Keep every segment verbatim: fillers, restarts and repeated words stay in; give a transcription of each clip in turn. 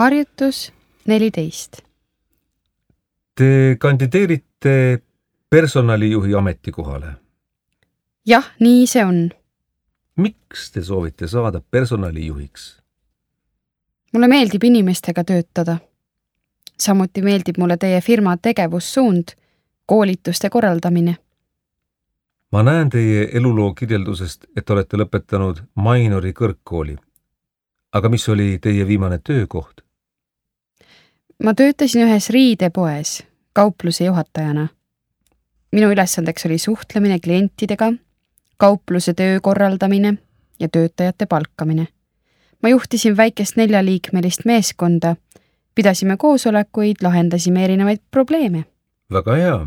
Harjutus neliteist. Te kandideerite personalijuhi ametikohale. Jah, nii see on. Miks te soovite saada personalijuhiks? Mulle meeldib inimestega töötada. Samuti meeldib mulle teie firma tegevussuund, koolituste korraldamine. Ma näen teie eluloo kirjeldusest, et olete lõpetanud Mainori kõrgkooli. Aga mis oli teie viimane töökoht? Ma töötasin ühes riidepoes kaupluse juhatajana. Minu ülesandeks oli suhtlemine klientidega, kaupluse töö korraldamine ja töötajate palkamine. Ma juhtisin väikest neljaliikmelist meeskonda, pidasime koosolekuid, lahendasime erinevaid probleeme. Väga hea.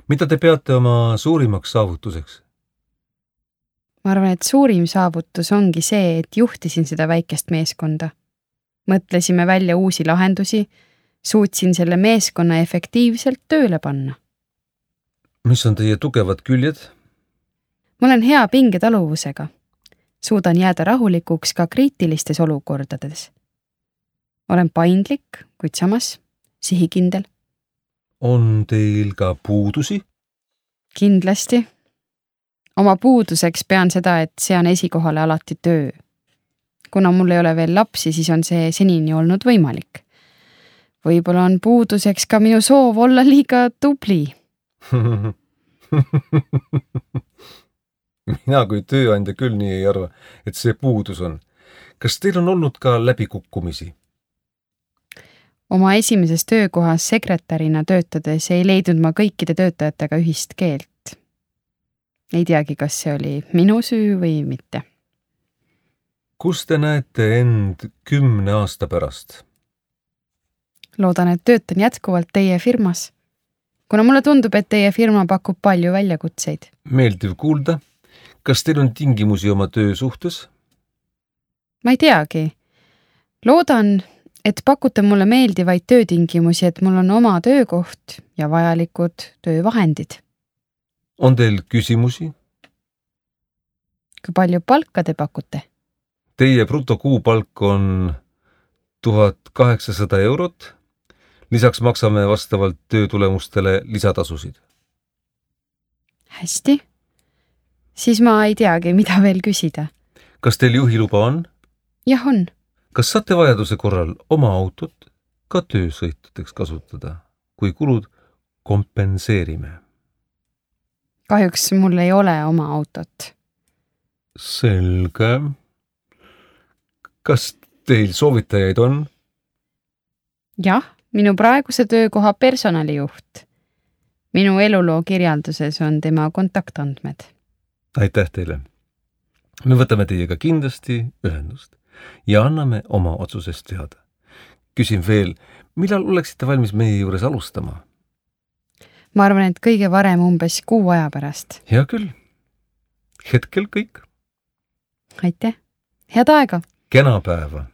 Mida te peate oma suurimaks saavutuseks? Ma arvan, et suurim saavutus ongi see, et juhtisin seda väikest meeskonda. Mõtlesime välja uusi lahendusi, suutsin selle meeskonna efektiivselt tööle panna. Mis on teie tugevad küljed? Ma olen hea pingetaluvusega. Suudan jääda rahulikuks ka kriitilistes olukordades. Olen paindlik, kuid samas sihikindel. On teil ka puudusi? Kindlasti. Oma puuduseks pean seda, et sean esikohale alati töö. Kuna mul ei ole veel lapsi, siis on see senini olnud võimalik. Võib-olla on puuduseks ka minu soov olla liiga tubli. Mina kui tööandja küll nii ei arva, et see puudus on. Kas teil on olnud ka läbikukkumisi? Oma esimeses töökohas sekretärina töötades ei leidnud ma kõikide töötajatega ühist keelt. Ei teagi, kas see oli minu süü või mitte. Kus te näete end kümne aasta pärast? Loodan, et töötan jätkuvalt teie firmas. Kuna mulle tundub, et teie firma pakub palju väljakutseid. Meeldiv kuulda. Kas teil on tingimusi oma töö suhtes? Ma ei teagi. Loodan, et pakute mulle meeldivaid töötingimusi, et mul on oma töökoht ja vajalikud töövahendid. On teil küsimusi? Kui palju palka te pakute? Teie brutokuupalk on tuhat kaheksasada eurot. Lisaks maksame vastavalt töötulemustele lisatasusid. Hästi. Siis ma ei teagi, mida veel küsida. Kas teil juhiluba on? Jah, on. Kas saate vajaduse korral oma autot ka töösõitudeks kasutada, kui kulud kompenseerime? Kahjuks mul ei ole oma autot. Selge. Kas teil soovitajaid on? Jah, minu praeguse töökoha personalijuht. Minu eluloo kirjalduses on tema kontaktandmed. Aitäh teile. Me võtame teiega kindlasti ühendust ja anname oma otsusest teada. Küsin veel, millal oleksite valmis meie juures alustama? Ma arvan, et kõige varem umbes kuu aja pärast. Hea küll. Hetkel kõik. Aitäh. Head aega. Kena päeva.